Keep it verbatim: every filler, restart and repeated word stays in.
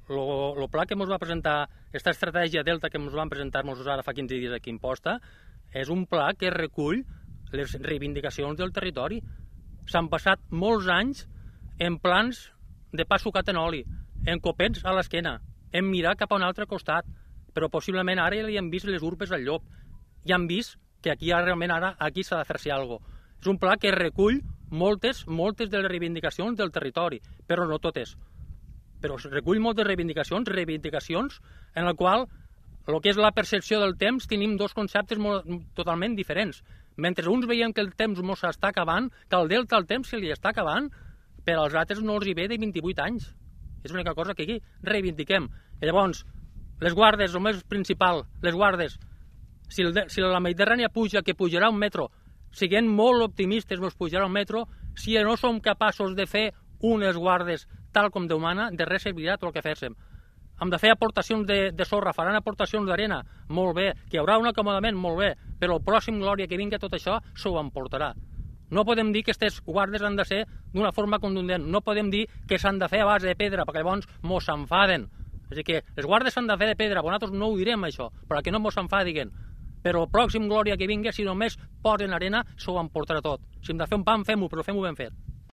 el pla que ens va presentar, aquesta estratègia Delta que ens van presentar-nos ara fa quinze dies aquí a Imposta, és un pla que recull les reivindicacions del territori. S'han passat molts anys en plans de pa sucat en oli, en copets a l'esquena, en mirar cap a un altre costat, però possiblement ara ja li han vist les urpes al llop, ja han vist que aquí realment ara aquí s'ha de fer-se alguna cosa. És un pla que recull moltes, moltes de les reivindicacions del territori, però no totes. Però recull moltes reivindicacions, reivindicacions en la qual el que és la percepció del temps tenim dos conceptes molt, totalment diferents. Mentre uns veiem que el temps no s'està acabant, que al delta el temps se li està acabant, per als altres no els hi ve de vint-i-vuit anys. És l'única cosa que aquí reivindiquem. I llavors, les guardes, el més principal, les guardes, si, el, si la Mediterrània puja, que pujarà un metro, siguent molt optimistes, ens pujarà un metro, si no som capaços de fer unes guardes tal com Déu mana, de res servirà tot el que féssim. Hem de fer aportacions de, de sorra, faran aportacions d'arena, molt bé, que hi haurà un acomodament, molt bé, però el pròxim Glòria que vingui tot això s'ho emportarà. No podem dir que aquestes guardes han de ser d'una forma contundent, no podem dir que s'han de fer a base de pedra, perquè llavors mos s'enfaden. És a dir, que les guardes s'han de fer de pedra, però nosaltres no ho direm això, perquè no mos s'enfadiguen. Però el pròxim Glòria que vingui, si només posen arena, s'ho emportarà tot. Si hem de fer un pam, fem-ho, però fem-ho ben fet.